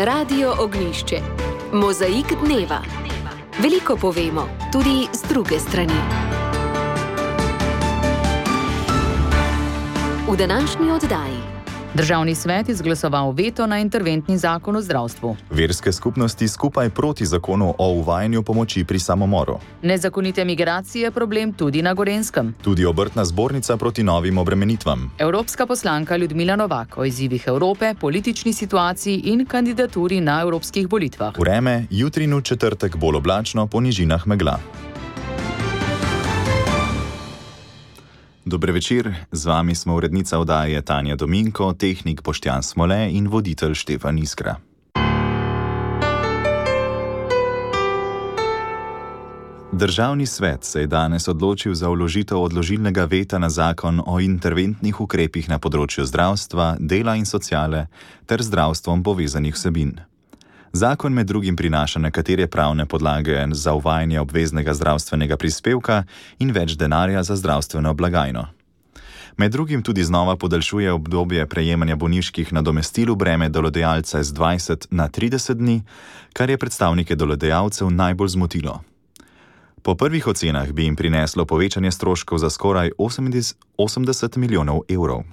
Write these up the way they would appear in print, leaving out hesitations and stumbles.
Radio Ognjišče. Mozaik dneva. Veliko povemo, tudi z druge strani. V današnji oddaji. Državni svet izglasoval veto na interventni zakon o zdravstvu. Verske skupnosti skupaj proti zakonu o uvajanju pomoči pri samomoru. Nezakonite migracije problem tudi na Gorenjskem. Tudi obrtna zbornica proti novim obremenitvam. Evropska poslanka Ljudmila Novak o izzivih Evrope, politični situaciji in kandidaturi na evropskih volitvah. Vreme, jutri in v četrtek bolj oblačno, po nižinah megla. Dober večer, z vami smo urednica oddaje Tanja Dominko, tehnik Boštjan Smole in voditelj Štefan Iskra. Državni svet se je danes odločil za vložitev odložilnega veta na zakon o interventnih ukrepih na področju zdravstva, dela in sociale ter zdravstvom povezanih vsebin. Zakon med drugim prinaša nekatere pravne podlage za uvajanje obveznega zdravstvenega prispevka in več denarja za zdravstveno blagajno. Med drugim tudi znova podaljšuje obdobje prejemanja bolniških nadomestil v breme delodajalca z 20 na 30 dni, kar je predstavnike delodajalcev najbolj zmotilo. Po prvih ocenah bi jim prineslo povečanje stroškov za skoraj 80 milijonov evrov.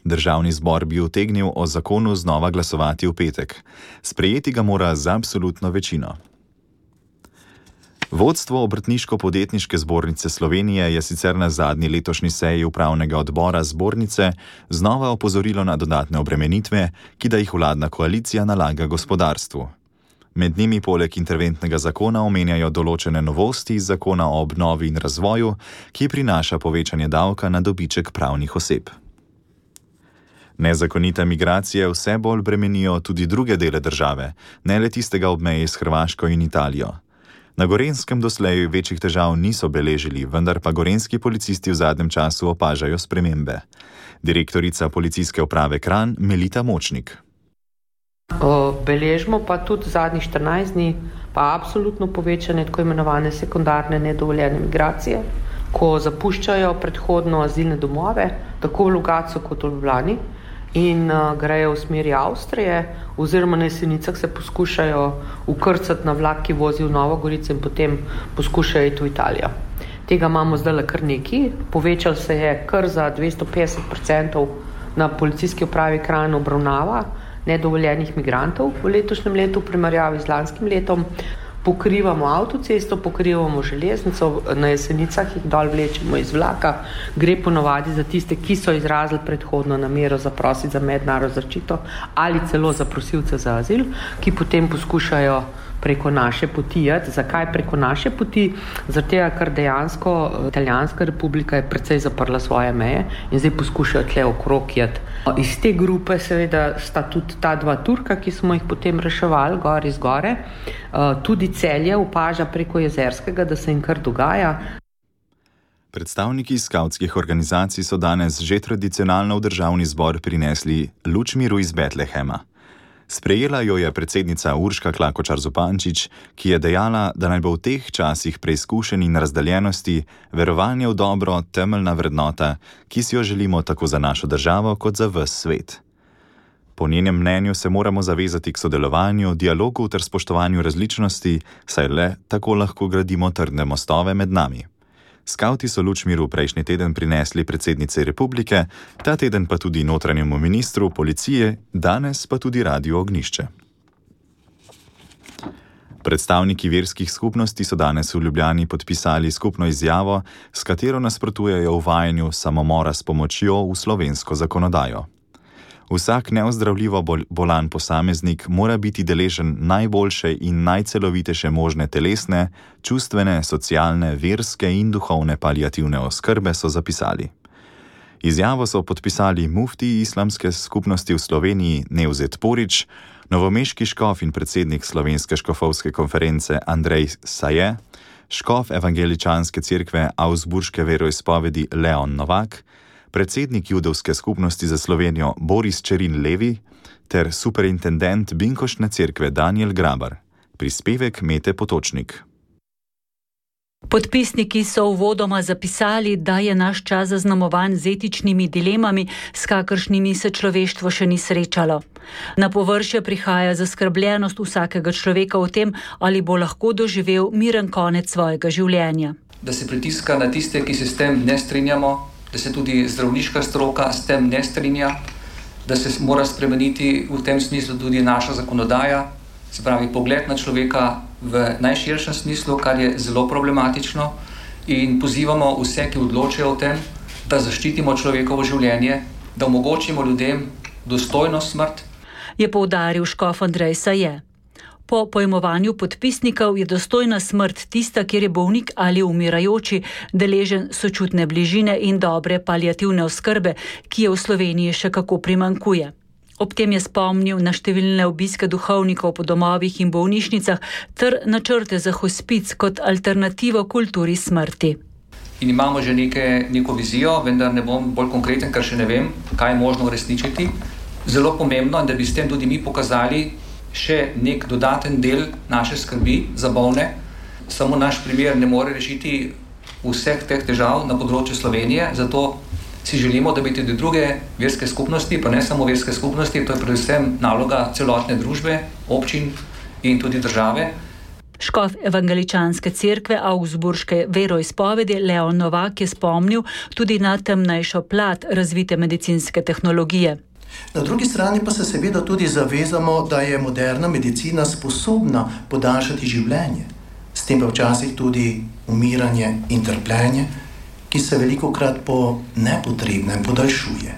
Državni zbor bi utegnil o zakonu znova glasovati v petek. Sprejeti ga mora z absolutno večino. Vodstvo Obrtniško-podjetniške zbornice Slovenije je sicer na zadnji letošnji seji upravnega odbora zbornice znova opozorilo na dodatne obremenitve, ki da jih vladna koalicija nalaga gospodarstvu. Med njimi poleg interventnega zakona omenjajo določene novosti iz zakona o obnovi in razvoju, ki prinaša povečanje davka na dobiček pravnih oseb. Nezakonite migracije vse bolj bremenijo tudi druge dele države, ne le tistega ob meji s Hrvaško in Italijo. Na Gorenjskem doslej večjih težav niso beležili, vendar pa gorenjski policisti v zadnjem času opažajo spremembe. Direktorica policijske uprave Kranj Melita Močnik. Beležimo pa tudi zadnjih 14 dni pa absolutno povečanje tako imenovane sekundarne nedovoljene migracije, ko zapuščajo predhodno azilne domove, tako v Logatcu kot v Ljubljani, in grejo v smeri Avstrije, oziroma na Jesenicah se poskušajo ukrcati na vlak, ki vozi v Novo Gorico, in potem poskušajo iti v Italijo. Tega imamo zdaj kar nekaj. Povečal se je kar za 250% na policijski upravi Kranj obravnava nedovoljenih migrantov v letošnjem letu v primerjavi z lanskim letom. Pokrivamo avtocesto, pokrivamo železnico, na Jesenicah jih dol vlečemo iz vlaka. Gre ponovadi za tiste, ki so izrazili predhodno namero zaprositi za mednarodno zaščito ali celo za prosilce za azil, ki potem poskušajo preko naše poti jeti. Zakaj preko naše poti? Zaradi tega, ker dejansko Italijanska republika je precej zaprla svoje meje in zdaj poskušajo tle okrog jeti. Iz te grupe seveda sta tudi ta dva Turka, ki smo jih potem reševali gor iz gore. Tudi Celje opaža preko Jezerskega, da se jim kar dogaja. Predstavniki skavtskih organizacij so danes že tradicionalno v državni zbor prinesli luč miru iz Betlehema. Sprejela jo je predsednica Urška Klakočar Zupančič, ki je dejala, da naj bo v teh časih preizkušenj in razdeljenosti verovanje v dobro temeljna vrednota, ki si jo želimo tako za našo državo kot za ves svet. Po njenem mnenju se moramo zavezati k sodelovanju, dialogu ter spoštovanju različnosti, saj le tako lahko gradimo trdne mostove med nami. Skavti so luč miru prejšnji teden prinesli predsednici republike, ta teden pa tudi notranjemu ministru, policije, danes pa tudi Radio Ognjišče. Predstavniki verskih skupnosti so danes v Ljubljani podpisali skupno izjavo, s katero nasprotujejo uvajanju samomora s pomočjo v slovensko zakonodajo. Vsak neozdravljivo bolan posameznik mora biti deležen najboljše in najcelovitejše možne telesne, čustvene, socialne, verske in duhovne paliativne oskrbe, so zapisali. Izjavo so podpisali mufti islamske skupnosti v Sloveniji Nevzet Porić, novomeški škof in predsednik Slovenske škofovske konference Andrej Saje, škof evangeličanske cerkve Augsburške veroizpovedi Leon Novak, predsednik judovske skupnosti za Slovenijo Boris Čerin Levi ter superintendent Binkoštne cerkve Daniel Grabar. Prispevek Mete Potočnik. Podpisniki so uvodoma zapisali, da je naš čas zaznamovan z etičnimi dilemami, s kakršnimi se človeštvo še ni srečalo. Na površje prihaja zaskrbljenost vsakega človeka o tem, ali bo lahko doživel miren konec svojega življenja. Da se pritiska na tiste, ki se s tem ne strinjamo, da se tudi zdravniška stroka s tem ne strinja, da se mora spremeniti v tem smislu tudi naša zakonodaja, se pravi pogled na človeka v najširšem smislu, kar je zelo problematično, in pozivamo vse, ki odločajo o tem, da zaščitimo človekovo življenje, da omogočimo ljudem dostojno smrt. Je poudaril škof Andrej Saje. Po pojmovanju podpisnikov je dostojna smrt tista, kjer je bolnik ali umirajoči deležen sočutne bližine in dobre paliativne oskrbe, ki je v Sloveniji še kako primanjkuje. Ob tem je spomnil na številne obiske duhovnikov po domovih in bolnišnicah ter načrte za hospic kot alternativo kulturi smrti. In imamo že neko vizijo, vendar ne bom bolj konkreten, ker še ne vem, kaj je možno uresničiti. Zelo pomembno, da bi s tem tudi mi pokazali še nek dodaten del naše skrbi za bolne. Samo naš primer ne more rešiti vseh teh težav na področju Slovenije, zato si želimo, da bi tudi druge verske skupnosti, pa ne samo verske skupnosti, to je predvsem naloga celotne družbe, občin in tudi države. Škof evangeličanske cerkve Augsburške veroizpovedi Leon Novak je spomnil tudi na temnejšo plat razvite medicinske tehnologije. Na drugi strani pa se seveda tudi zavezamo, da je moderna medicina sposobna podaljšati življenje, s tem pa včasih tudi umiranje in trpljenje, ki se velikokrat po nepotrebnem podaljšuje.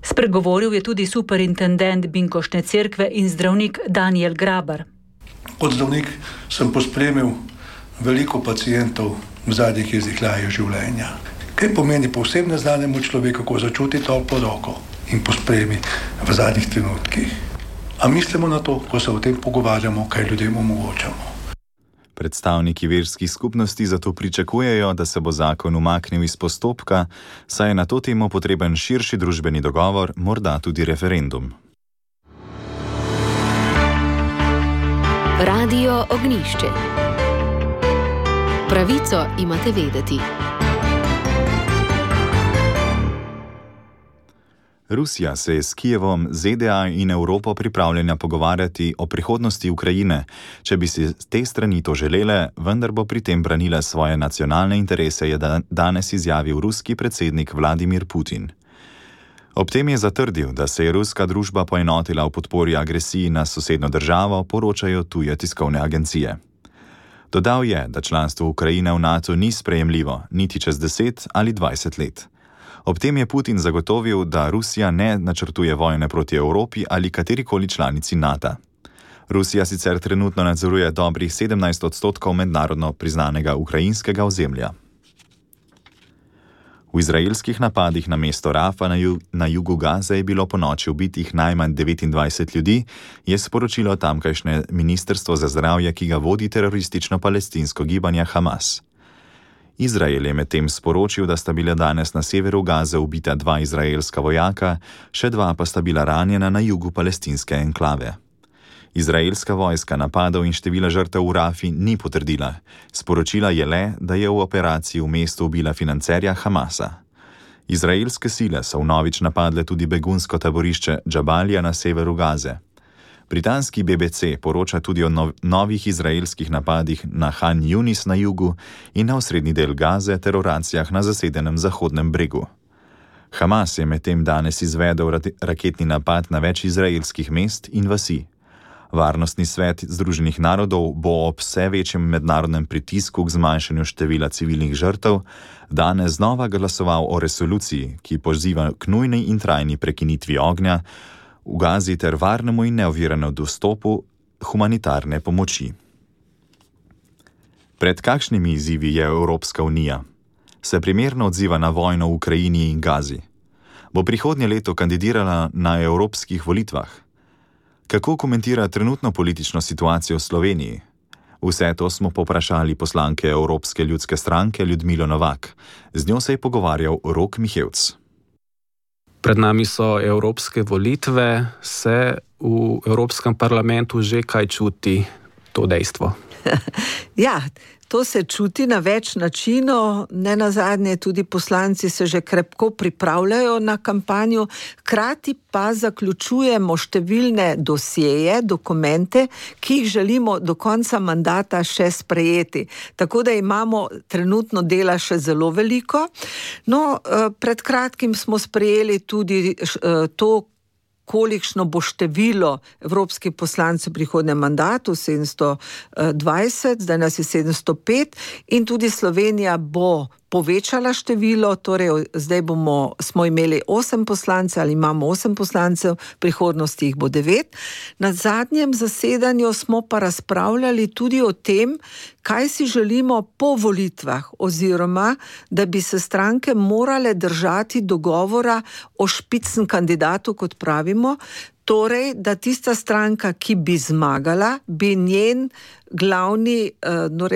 Spregovoril je tudi superintendent Binkoštne cerkve in zdravnik Daniel Grabar. Kot zdravnik sem pospremil veliko pacientov v zadnjih izdihljajev življenja. Kaj pomeni povsem neznanemu človeku, ko začuti toplo roko in pospremi v zadnjih trenutkih? A mislimo na to, ko se o tem pogovarjamo, kaj ljudem omogočamo? Predstavniki verskih skupnosti zato pričakujejo, da se bo zakon umaknil iz postopka, saj je na to temo potreben širši družbeni dogovor, morda tudi referendum. Radio Ognjišče. Pravico imate vedeti. Rusija se je s Kijevom, ZDA in Evropo pripravljena pogovarjati o prihodnosti Ukrajine, če bi si te strani to želele, vendar bo pri tem branila svoje nacionalne interese, je danes izjavil ruski predsednik Vladimir Putin. Ob tem je zatrdil, da se je ruska družba poenotila v podpori agresiji na sosednjo državo, poročajo tuje tiskovne agencije. Dodal je, da članstvo Ukrajine v NATO ni sprejemljivo, niti čez 10 ali 20 let. Ob tem je Putin zagotovil, da Rusija ne načrtuje vojne proti Evropi ali katerikoli članici NATO. Rusija sicer trenutno nadzoruje dobrih 17% mednarodno priznanega ukrajinskega ozemlja. V izraelskih napadih na mesto Rafa na jugu Gaze je bilo ponoči ubitih najmanj 29 ljudi, je sporočilo tamkajšnje ministrstvo za zdravje, ki ga vodi teroristično palestinsko gibanje Hamas. Izrael je medtem sporočil, da sta bila danes na severu Gaze ubita 2 izraelska vojaka, še 2 pa sta bila ranjena na jugu palestinske enklave. Izraelska vojska napadov in števila žrtev v Rafi ni potrdila. Sporočila je le, da je v operaciji v mestu ubila financerja Hamasa. Izraelske sile so vnovič napadle tudi begunsko taborišče Džabalija na severu Gaze. Britanski BBC poroča tudi o novih izraelskih napadih na Han Yunis na jugu in na osrednji del Gaze ter operacijah na zasedenem Zahodnem bregu. Hamas je medtem danes izvedel raketni napad na več izraelskih mest in vasi. Varnostni svet Združenih narodov bo ob vse večjem mednarodnem pritisku k zmanjšanju števila civilnih žrtev danes znova glasoval o resoluciji, ki poziva k nujni in trajni prekinitvi ognja v Gazi ter varnemu in neoviranemu dostopu humanitarne pomoči. Pred kakšnimi izzivi je Evropska unija? Se primerno odziva na vojno v Ukrajini in Gazi? Bo prihodnje leto kandidirala na evropskih volitvah? Kako komentira trenutno politično situacijo v Sloveniji? Vse to smo povprašali poslanke Evropske ljudske stranke Ljudmilo Novak. Z njo se je pogovarjal Rok Mihevc. Pred nami so evropske volitve, se v Evropskem parlamentu že kaj čuti? to dejstvo? Ja, to se čuti na več načinov, ne nazadnje tudi poslanci se že krepko pripravljajo na kampanjo, hkrati pa zaključujemo številne dosjeje, dokumente, ki jih želimo do konca mandata še sprejeti. Tako da imamo trenutno dela še zelo veliko. No, pred kratkim smo sprejeli tudi to, kolikšno bo število evropskih poslancev v prihodnjem mandatu, 720, zdaj nas je 705 in tudi Slovenija bo povečala število, torej zdaj smo imeli 8 poslancev ali imamo 8 poslancev, v prihodnosti jih bo 9. Na zadnjem zasedanju smo pa razpravljali tudi o tem, kaj si želimo po volitvah, oziroma da bi se stranke morale držati dogovora o špicen kandidatu, kot pravimo, torej, da tista stranka, ki bi zmagala, bi njen glavni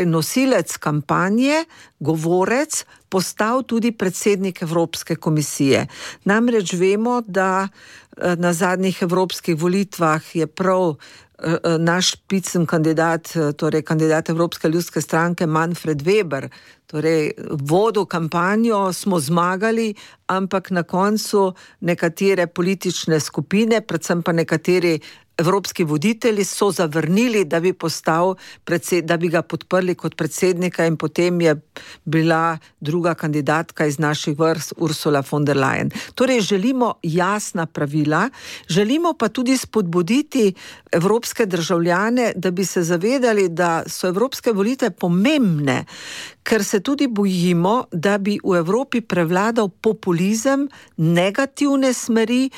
nosilec kampanje, govorec, postal tudi predsednik Evropske komisije. Namreč vemo, da na zadnjih evropskih volitvah je prav naš špicen kandidat, torej kandidat Evropske ljudske stranke Manfred Weber, torej vodil kampanjo, smo zmagali, ampak na koncu nekatere politične skupine, predvsem pa nekateri evropski voditelji so zavrnili, da bi ga podprli kot predsednika in potem je bila druga kandidatka iz naših vrst Ursula von der Leyen. Torej želimo jasna pravila, želimo pa tudi spodbuditi evropske državljane, da bi se zavedali, da so evropske volitve pomembne, ker se tudi bojimo, da bi v Evropi prevladal populizem, negativne smeri,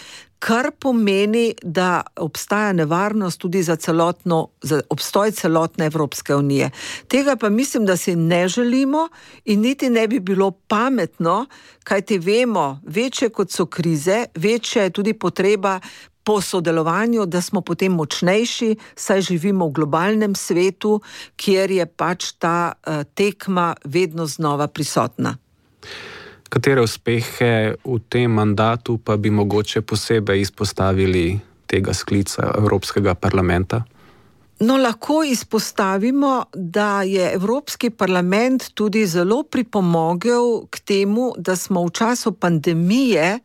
kar pomeni, da obstaja nevarnost tudi za obstoj celotne Evropske unije. Tega pa mislim, da si ne želimo in niti ne bi bilo pametno, kajti vemo, večje kot so krize, večja je tudi potreba po sodelovanju, da smo potem močnejši, saj živimo v globalnem svetu, kjer je pač ta tekma vedno znova prisotna. Katere uspehe v tem mandatu pa bi mogoče posebej izpostavili tega sklica Evropskega parlamenta? No, lahko izpostavimo, da je Evropski parlament tudi zelo pripomogel k temu, da smo v času pandemije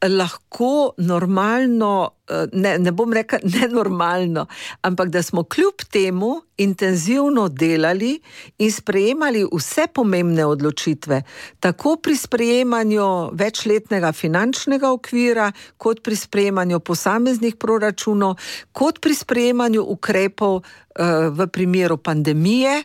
lahko normalno, ne bom rekla nenormalno, ampak da smo kljub temu intenzivno delali in sprejemali vse pomembne odločitve, tako pri sprejemanju večletnega finančnega okvira, kot pri sprejemanju posameznih proračunov, kot pri sprejemanju ukrepov v primeru pandemije,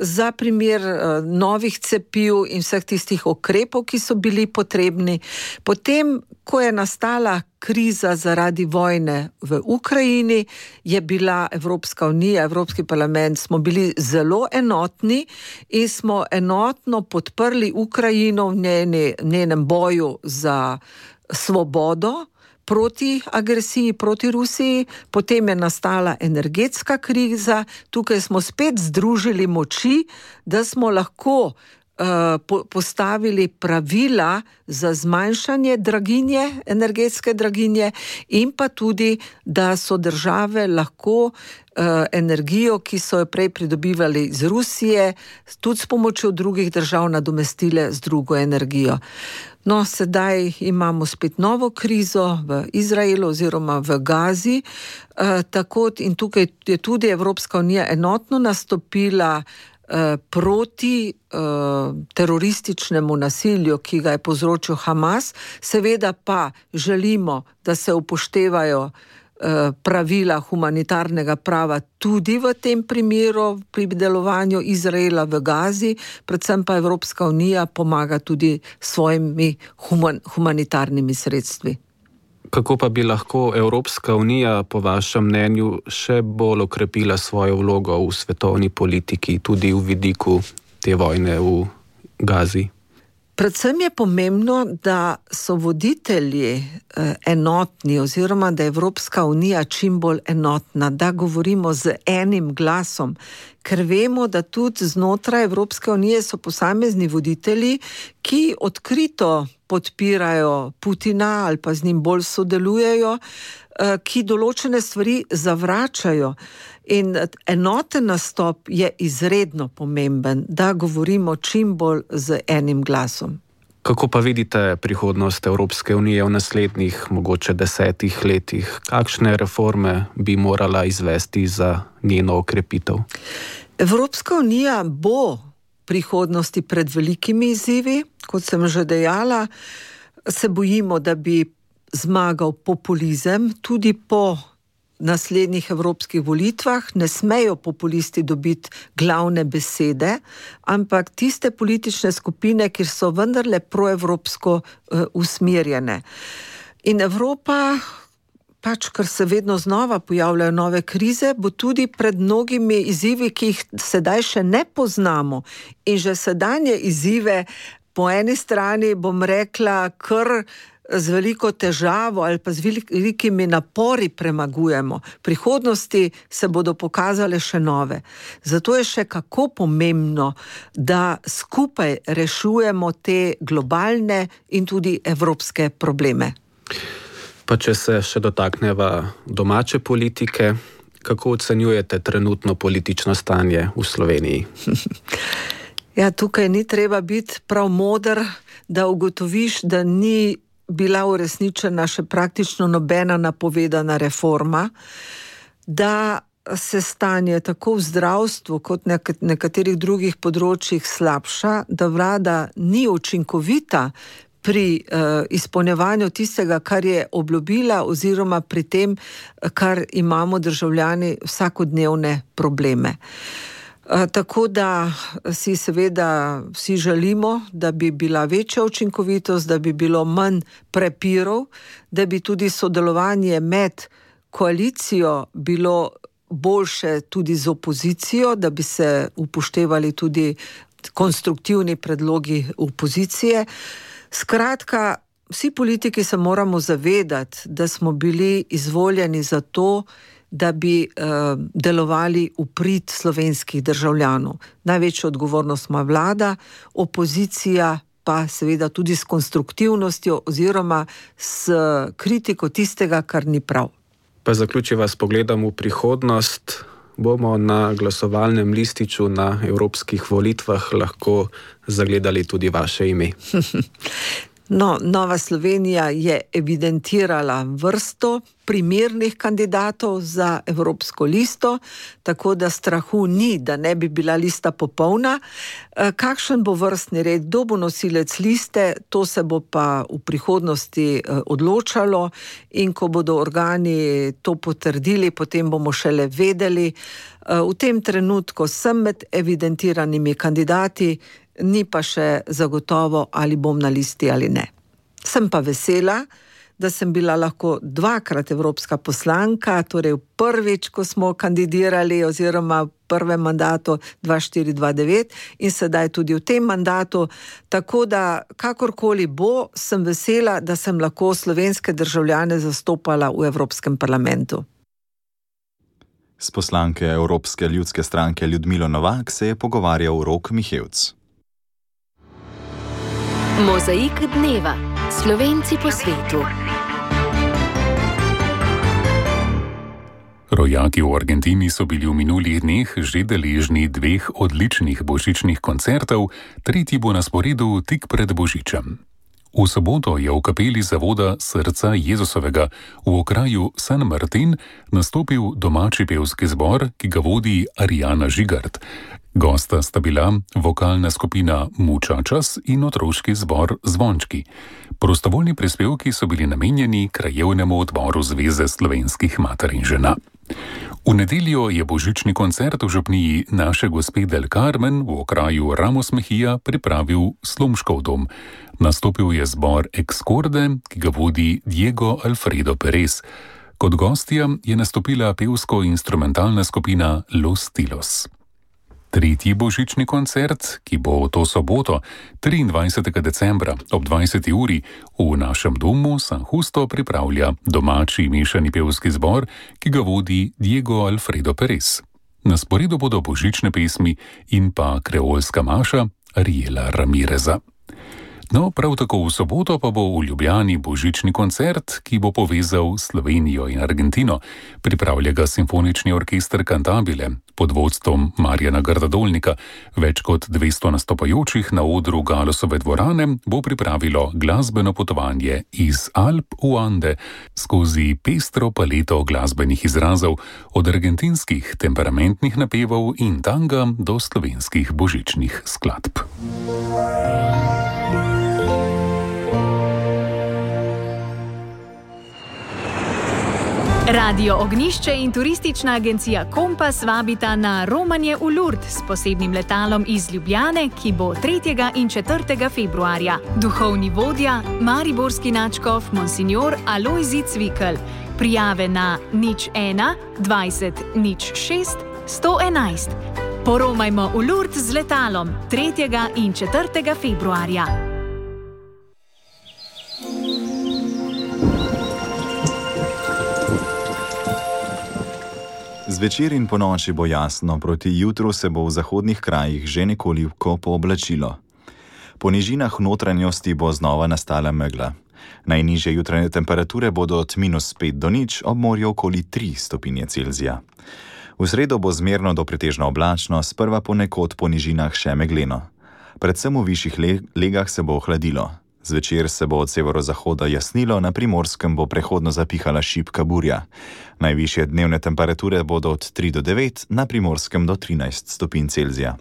za primer novih cepiv in vseh tistih ukrepov, ki so bili potrebni. Potem, ko je nastala kriza zaradi vojne v Ukrajini, je bila Evropska unija, Evropski parlament, smo bili zelo enotni in smo enotno podprli Ukrajino v njenem boju za svobodo, proti agresiji, proti Rusiji, potem je nastala energetska kriza, tukaj smo spet združili moči, da smo lahko postavili pravila za zmanjšanje draginje, energetske draginje in pa tudi, da so države lahko energijo, ki so jo prej pridobivali iz Rusije, tudi s pomočjo drugih držav nadomestile z drugo energijo. No, sedaj imamo spet novo krizo v Izraelu oziroma v Gazi, tako in tukaj je tudi Evropska unija enotno nastopila proti terorističnemu nasilju, ki ga je povzročil Hamas. Seveda pa želimo, da se upoštevajo pravila humanitarnega prava tudi v tem primeru pri delovanju Izraela v Gazi, predvsem pa Evropska unija pomaga tudi svojimi humanitarnimi sredstvi. Kako pa bi lahko Evropska unija, po vašem mnenju, še bolj okrepila svojo vlogo v svetovni politiki, tudi v vidiku te vojne v Gazi? Predvsem je pomembno, da so voditelji enotni oziroma da je Evropska unija čim bolj enotna, da govorimo z enim glasom, ker vemo, da tudi znotraj Evropske unije so posamezni voditelji, ki odkrito podpirajo Putina ali pa z njim bolj sodelujejo, ki določene stvari zavračajo. In enoten nastop je izredno pomemben, da govorimo čim bolj z enim glasom. Kako pa vidite prihodnost Evropske unije v naslednjih, mogoče 10 letih? Kakšne reforme bi morala izvesti za njeno okrepitev? Evropska unija bo v prihodnosti pred velikimi izzivi, kot sem že dejala. Se bojimo, da bi zmagal populizem tudi po naslednjih evropskih volitvah. Ne smejo populisti dobiti glavne besede, ampak tiste politične skupine, ki so vendarle proevropsko usmerjene. In Evropa, ker se vedno znova pojavljajo nove krize, bo tudi pred mnogimi izzivi, ki jih sedaj še ne poznamo. In že sedanje izzive po eni strani, bom rekla, kar z veliko težavo ali pa z velikimi napori premagujemo. V prihodnosti se bodo pokazale še nove. Zato je še kako pomembno, da skupaj rešujemo te globalne in tudi evropske probleme. Pa če se še dotakneva domače politike, kako ocenjujete trenutno politično stanje v Sloveniji? Ja, tukaj ni treba biti prav moder, da ugotoviš, da ni bila uresničena še praktično nobena napovedana reforma, da se stanje tako v zdravstvu kot na nekaterih drugih področjih slabša, da vlada ni učinkovita pri izpolnjevanju tistega, kar je obljubila, oziroma pri tem, kar imamo državljani vsakodnevne probleme. Tako da si seveda vsi želimo, da bi bila večja učinkovitost, da bi bilo manj prepirov, da bi tudi sodelovanje med koalicijo bilo boljše tudi z opozicijo, da bi se upoštevali tudi konstruktivni predlogi opozicije. Skratka, vsi politiki se moramo zavedati, da smo bili izvoljeni za to, da bi delovali v prid slovenskih državljanov. Največjo odgovornost ima vlada, opozicija pa seveda tudi s konstruktivnostjo oziroma s kritiko tistega, kar ni prav. Pa zaključiva s pogledom v prihodnost. Bomo na glasovalnem lističu na evropskih volitvah lahko zagledali tudi vaše ime? No, Nova Slovenija je evidentirala vrsto primernih kandidatov za evropsko listo, tako da strahu ni, da ne bi bila lista popolna. Kakšen bo vrstni red, kdo bo nosilec liste, to se bo pa v prihodnosti odločalo, in ko bodo organi to potrdili, potem bomo šele vedeli. V tem trenutku sem med evidentiranimi kandidati, ni pa še zagotovo, ali bom na listi ali ne. Sem pa vesela, da sem bila lahko 2-krat evropska poslanka, torej prvič, ko smo kandidirali, oziroma v prvem mandatu 2004-2009 in sedaj tudi v tem mandatu. Tako da, kakorkoli bo, sem vesela, da sem lahko slovenske državljane zastopala v Evropskem parlamentu. S poslanke Evropske ljudske stranke Ljudmilo Novak se je pogovarjal Rok Mihevc. Mozaik dneva. Slovenci po svetu. Rojaki v Argentini so bili v minulih dneh že deležni 2 odličnih božičnih koncertov, tretji bo na sporedu tik pred Božičem. V soboto je v kapeli zavoda Srca Jezusovega v okraju San Martin nastopil domači pevski zbor, ki ga vodi Arijana Žigart. Gosta sta bila vokalna skupina Mučačas in otroški zbor Zvončki. Prostovoljni prispevki so bili namenjeni krajevnemu odboru Zveze slovenskih mater in žena. V nedeljo je božični koncert v župniji Naše gospe del Carmen v okraju Ramos Mejía pripravil Slomškov dom. Nastopil je zbor Excorde, ki ga vodi Diego Alfredo Perez. Kot gostja je nastopila pevsko-instrumentalna skupina Los Tilos. Tretji božični koncert, ki bo to soboto, 23. decembra ob 20. uri v našem domu San Justo pripravlja domači mešani pevski zbor, ki ga vodi Diego Alfredo Perez. Na sporedu bodo božične pesmi in pa kreolska maša Ariela Ramireza. No, prav tako v soboto pa bo v Ljubljani božični koncert, ki bo povezal Slovenijo in Argentino. Pripravlja ga Simfonični orkester Cantabile pod vodstvom Marjana Gardadolnika. Več kot 200 nastopajočih na odru Galosove dvorane bo pripravilo glasbeno potovanje iz Alp v Ande skozi pestro paleto glasbenih izrazov, od argentinskih temperamentnih napevov in tanga do slovenskih božičnih skladb. Radio Ognjišče in turistična agencija Kompas vabita na romanje v Lourdes s posebnim letalom iz Ljubljane, ki bo 3. in 4. februarja. Duhovni vodja, mariborski nadškof Monsignor Alojzij Cvikl. Prijave na 01 20 06 111. Poromajmo v Lourdes z letalom 3. in 4. februarja. Zvečer in ponoči bo jasno, proti jutru se bo v zahodnih krajih že nekoliko pooblačilo. Po nižinah notranjosti bo znova nastala megla. Najnižje jutranje temperature bodo od -5 do 0, ob morju okoli 3 stopinje Celzija. V sredo bo zmerno do pretežno oblačno, sprva ponekod po nižinah še megleno. Predvsem v višjih legah se bo ohladilo. Zvečer se bo od severozahoda jasnilo, na Primorskem bo prehodno zapihala šibka burja. Najvišje dnevne temperature bodo od 3 do 9, na Primorskem do 13 stopinj Celzija.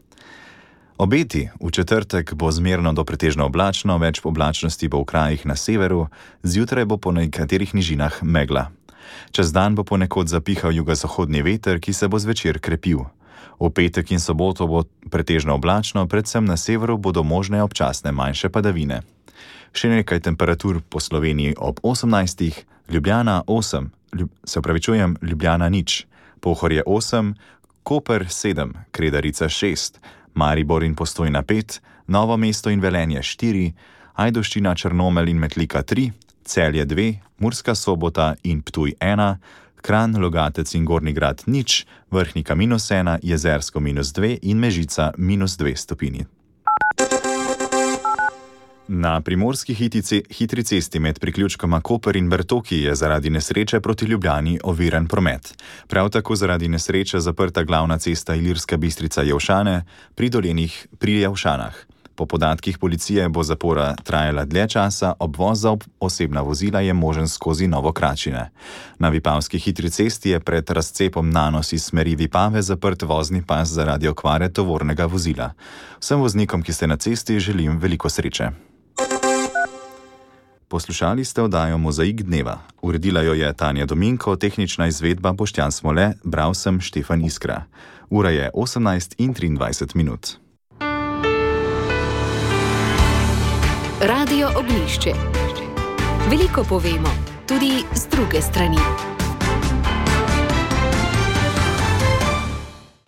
Obeti: v četrtek bo zmerno do pretežno oblačno, več oblačnosti bo v krajih na severu, zjutraj bo po nekaterih nižinah megla. Čez dan bo ponekod zapihal jugozahodni veter, ki se bo zvečer krepil. V petek in soboto bo pretežno oblačno, predvsem na severu bodo možne občasne manjše padavine. Še nekaj temperatur po Sloveniji ob 18, Ljubljana 8, Ljubljana 0, Pohorje 8, Koper 7, Kredarica 6, Maribor in Postojna 5, Novo mesto in Velenje 4, Ajdovščina, Črnomelj in Metlika 3, Celje 2, Murska Sobota in Ptuj 1, Kranj, Logatec in Gornji Grad 0, Vrhnika -1, Jezersko -2 in Mežica -2 stopinji. Na primorski hitri cesti med priključkoma Koper in Bertoki je zaradi nesreče proti Ljubljani oviran promet. Prav tako zaradi nesreče zaprta glavna cesta Ilirska Bistrica-Jelšane pri Jelšanah. Po podatkih policije bo zapora trajala dlje časa, obvoz za osebna vozila je možen skozi Novokračine. Na vipavski hitri cesti je pred razcepom Nanos iz smeri Vipave zaprt vozni pas zaradi okvare tovornega vozila. Vsem voznikom, ki ste na cesti, želim veliko sreče. Poslušali ste oddajo Mozaik dneva. Uredila jo je Tanja Dominko, tehnična izvedba Boštjan Smole, bral sem Štefan Iskra. Ura je 18:23. Radio Ognjišče. Veliko povemo, tudi z druge strani.